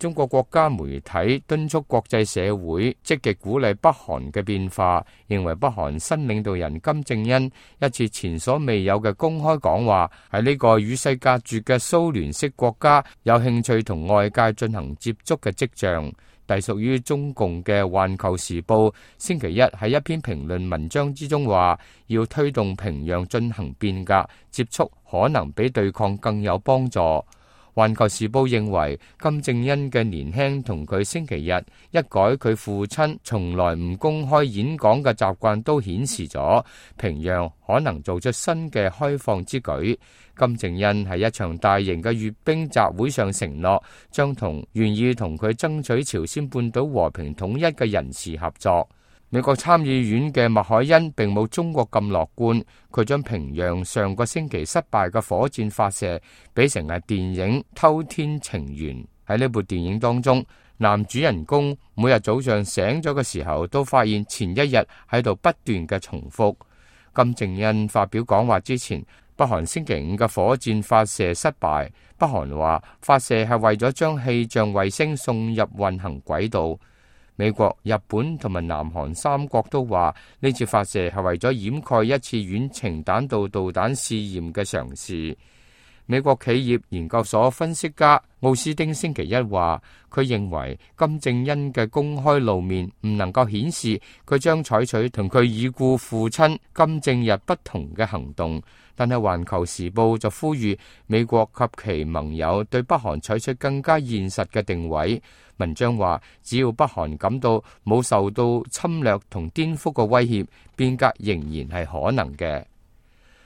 中國國家媒體敦促國際社會積極鼓勵北韓嘅變化，認為北韓新領導人金正恩一次前所未有嘅公開講話，喺呢個與世隔絕嘅蘇聯式國家有興趣同外界進行接觸嘅跡象。隸屬於中共嘅《環球時報》星期一喺一篇評論文章之中話，要推動平壤進行變革，接觸可能比對抗更有幫助。《環球時報》認為，金正恩嘅年輕同佢星期日一改佢父親從來唔公開演講嘅習慣，都顯示咗平壤可能做出新嘅開放之舉。金正恩喺一場大型嘅閱兵集會上承諾，將同願意同佢爭取朝鮮半島和平統一嘅人士合作。美國參議院嘅麥凱恩並冇中國咁樂觀，佢將平壤上個星期失敗嘅火箭發射比成係電影《偷天情緣》。喺呢部電影當中，男主人公每日早上醒咗嘅時候，都發現前一日喺度不斷嘅重複。金正恩發表講話之前，北韓星期五嘅火箭發射失敗，北韓話發射係為咗將氣象衛星送入運行軌道。美國、日本同埋南韓三國都話呢次發射係為咗掩蓋一次遠程彈道導彈試驗嘅嘗試。美國企業研究所分析家奧斯丁星期一話，佢認為金正恩嘅公開露面唔能夠顯示佢將採取同佢已故父親金正日不同嘅行動，但係《環球時報》就呼籲美國及其盟友對北韓採取更加現實嘅定位。文章話，只要北韓感到冇受到侵略同顛覆嘅威脅，變革仍然係可能嘅。